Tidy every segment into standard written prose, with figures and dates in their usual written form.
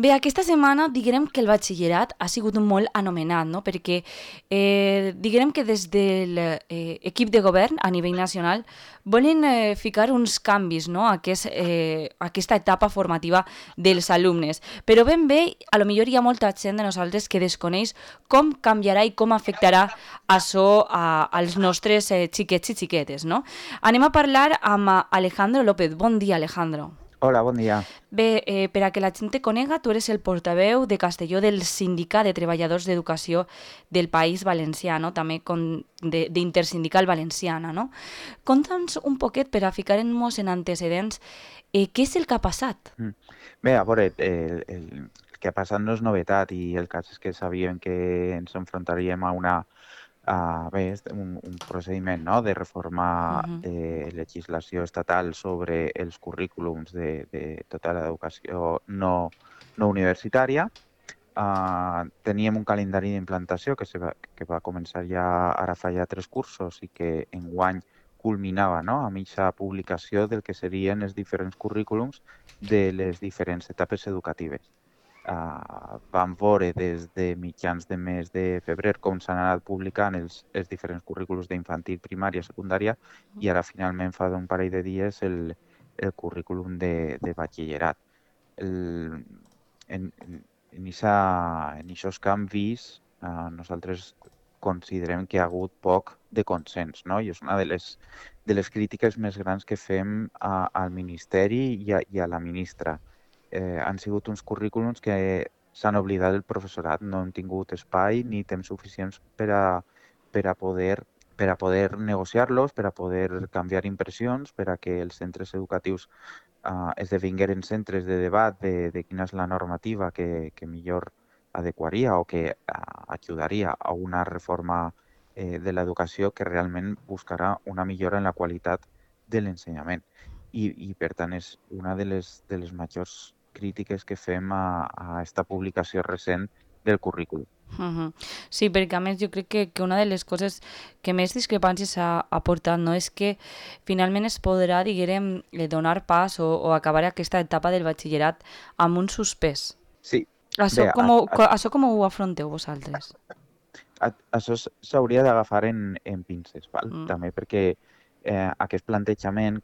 Bé, aquesta setmana diguem que el batxillerat ha sigut molt anomenat, no? Perquè diguem que des de l'equip de govern a nivell nacional volen ficar uns canvis, no? Aquesta etapa formativa dels alumnes. Però ben bé, a lo millor hi ha molta gent de nosaltres que desconeix com canviarà i com afectarà això als nostres xiquets i xiquetes, no? Anem a parlar amb Alejandro López. Bon dia, Alejandro. Hola, bon dia. Bé, per a que la gent te conega, tu eres el portaveu de Castelló del Sindicat de Treballadors d'Educació del País Valencià, no? També d'Intersindical Valenciana, no? Conta'ns un poquet per a ficar-nos en antecedents què és el que ha passat. Mm. Bé, a veure, el que ha passat no és novetat i el cas és que sabíem que ens enfrontaríem un procediment, no?, de reforma Mhm. de legislació estatal sobre els currículums de tota l'educació no universitària. Teníem un calendari d'implantació que va començar ja ara fa ja 3 cursos i que enguany culminava, no?, amb aquesta publicació del que serien els diferents currículums de les diferents etapes educatives. Vam veure des de mitjans de mes de febrer com s'han anat publicant els diferents currículums d'infantil, primària, secundària i ara finalment fa un parell de dies el currículum de batxillerat. El, en aquests canvis, nosaltres considerem que hi ha hagut poc de consens, no? I és una de les crítiques més grans que fem al Ministeri i a la ministra. Han sigut uns currículums que s'han oblidat del professorat, no han tingut espai ni temps suficients per a poder negociar-los, per a poder canviar impressions, per a que els centres educatius esdevingueren centres de debat de quina és la normativa que millor adequaria o que ajudaria a una reforma de l'educació que realment buscarà una millora en la qualitat de l'ensenyament. I per tant, és una de les majors crítiques que fem a esta publicació recent del currículum. Mhm. Sí, perquè a més jo crec que una de les coses que més discrepàncies ha portat, no, és que finalment es podrà, diguem, donar pas o acabar aquesta etapa del batxillerat amb un suspès. Sí, Això bé, això com ho afronteu vosaltres? això s'hauria d'agafar en pinces, val? Mm. També perquè aquest plantejament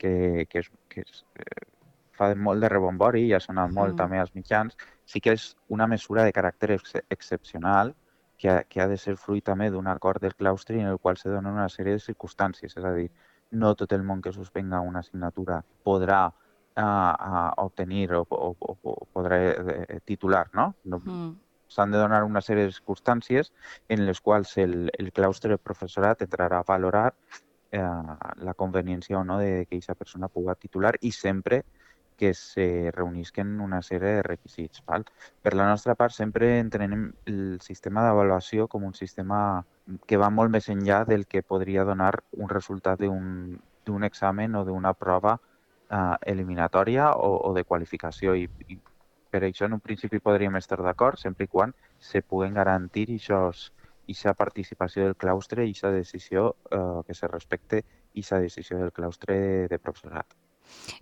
fa molt de rebombori i ha sonat molt Mm. també als mitjans, sí que és una mesura de caràcter excepcional que ha de ser fruit també d'un acord del claustre en el qual se donen una sèrie de circumstàncies. És a dir, no tot el món que suspenga una assignatura podrà obtenir o podrà titular, no? Mm. S'han de donar una sèrie de circumstàncies en les quals el claustre del professorat entrarà a valorar la conveniència o no de que aquesta persona pugui titular i sempre que se reunisquen una sèrie de requisits. Val? Per la nostra part, sempre entenem el sistema d'avaluació com un sistema que va molt més enllà del que podria donar un resultat d'un examen o d'una prova eliminatòria o de qualificació. I per això, en un principi, podríem estar d'acord, sempre i quan se puguen garantir aquesta participació del claustre i aquesta decisió, que se respecte aquesta decisió del claustre de professorat.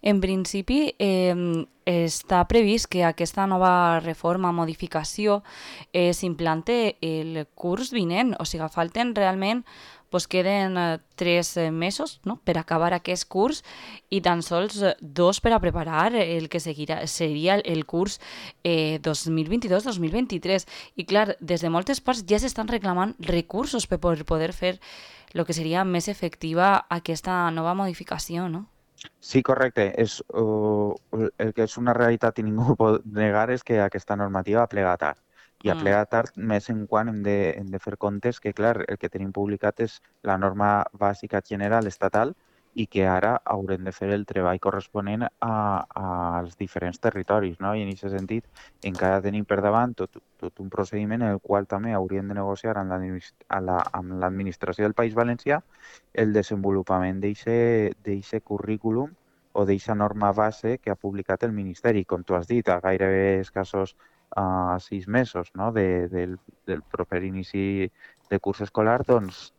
En principi, està previst que aquesta nova reforma, modificació, s'implante el curs vinent. O sigui, falten realment, doncs queden 3 mesos, no?, per acabar aquest curs i tan sols 2 per a preparar el que seria el curs 2022-2023. I clar, des de moltes parts ja s'estan reclamant recursos per poder fer el que seria més efectiva aquesta nova modificació, no? Sí, correcte. El que és una realitat i ningú ho pot negar és que aquesta normativa ha plegat tard. I ha Mm. plegat tard més en quan hem de fer comptes que, clar, el que tenim publicat és la norma bàsica general estatal i que ara haurem de fer el treball corresponent als diferents territoris, no? I en aquest sentit encara tenim per davant tot un procediment en el qual també hauríem de negociar amb l'administració del País Valencià el desenvolupament d'eixe currículum o d'eixa norma base que ha publicat el Ministeri. Com tu has dit, a gairebé escassos 6 mesos, no?, del proper inici de curs escolar, doncs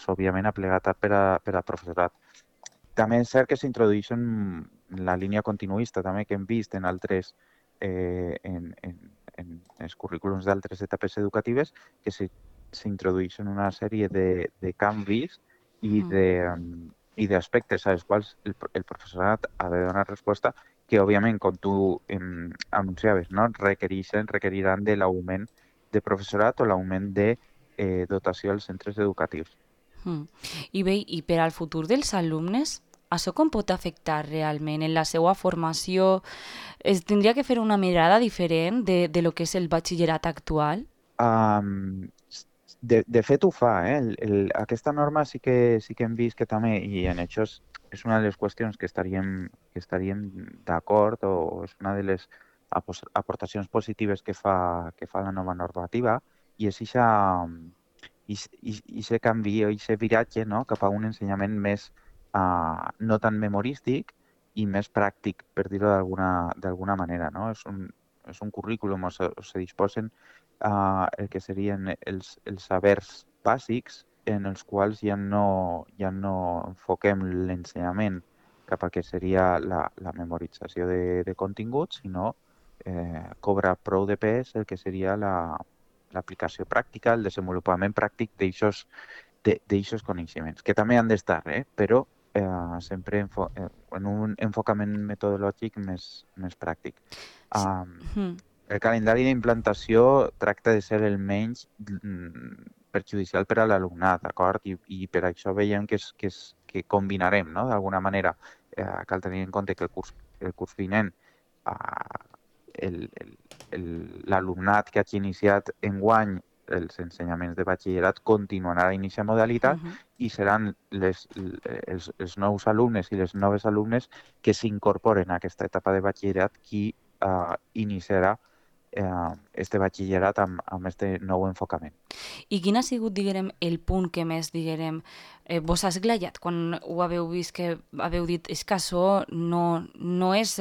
òbviament ha plegat tard per a professorat. També és cert que s'introdueix en la línia continuista també que hem vist en altres currículums d'altres etapes educatives que s'introdueixen una sèrie de canvis i d'aspectes als quals el professorat ha de donar resposta que, òbviament, com tu anunciaves, no? requeriran de l'augment de professorat o l'augment de dotació als centres educatius. I bé, i per al futur dels alumnes, això com pot afectar realment en la seva formació? Es tindria que fer una mirada diferent de lo que és el batxillerat actual? De fet ho fa, aquesta norma sí que hem vist que també, i en això és una de les qüestions que estaríem d'acord o és una de les aportacions positives que fa la nova normativa, i és aquest canvi o aquest viratge, no?, cap a un ensenyament més no tan memorístic i més pràctic, per dir-ho d'alguna manera, no? És un currículum on se disposen el que serien els sabers bàsics en els quals ja no enfoquem l'ensenyament cap a que seria la memorització de continguts, sinó cobra prou de pes el que seria l'aplicació pràctica, el desenvolupament pràctic d'eixos coneixements, que també han d'estar, però sempre en un enfocament metodològic més pràctic. El calendari d'implantació tracta de ser el menys perjudicial per a l'alumnat, d'acord? I per això veiem que combinarem, no?, d'alguna manera. Cal tenir en compte que el curs vinent l'alumnat que hagi iniciat enguany els ensenyaments de batxillerat continuarà a iniciar modalitat i seran els nous alumnes i les noves alumnes que s'incorporen a aquesta etapa de batxillerat qui iniciarà este batxillerat amb este nou enfocament. I quin ha sigut, diguem, el punt que més, diguem, vos ha esglaiat quan ho haveu vist, que haveu dit és que això no és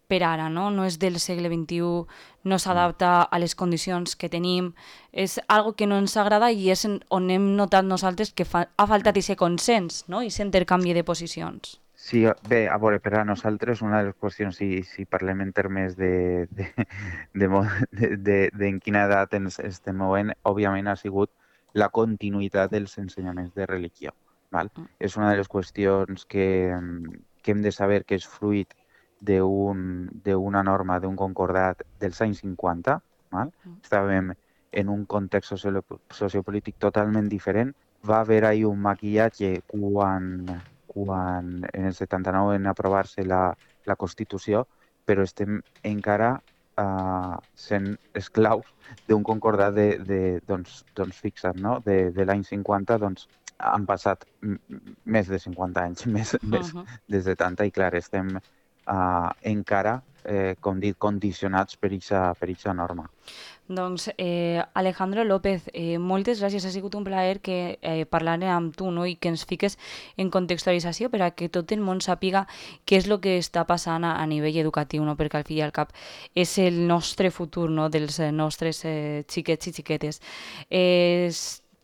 per ara, no és del segle XXI, no s'adapta a les condicions que tenim, és algo que no ens agrada i és on hem notat nosaltres que ha faltat aquest consens, no?, i aquest intercanvi de posicions. Sí, bé, a veure, per a nosaltres una de les qüestions, si parlem en termes en quina edat ens estem movent, òbviament ha sigut la continuïtat dels ensenyaments de religió. Val? És una de les qüestions que hem de saber que és fruit d'una norma, d'un concordat dels anys 50. Val? Estàvem en un context sociopolític totalment diferent. Va haver-hi un maquillatge quan en el 79 en aprovar-se la Constitució, però estem encara sent esclaus d'un concordat fixat, no?, de l'any 50, doncs han passat més de 50 anys, més de 70, i clar, estem encara, com dic, condicionats per aquesta norma. Doncs Alejandro López, moltes gràcies, ha sigut un plaer que parlar amb tu, no?, i que ens fiques en contextualització per a que tot el món sàpiga què és el que està passant a nivell educatiu, no?, perquè al fi i al cap és el nostre futur, no?, dels nostres xiquets i xiquetes.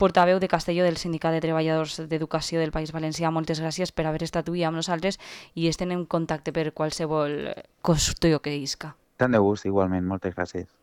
Portaveu de Castelló del Sindicat de Treballadors d'Educació del País Valencià, moltes gràcies per haver estat avui amb nosaltres i estem en contacte per qualsevol qüestió que isca. Tant de gust, igualment, moltes gràcies.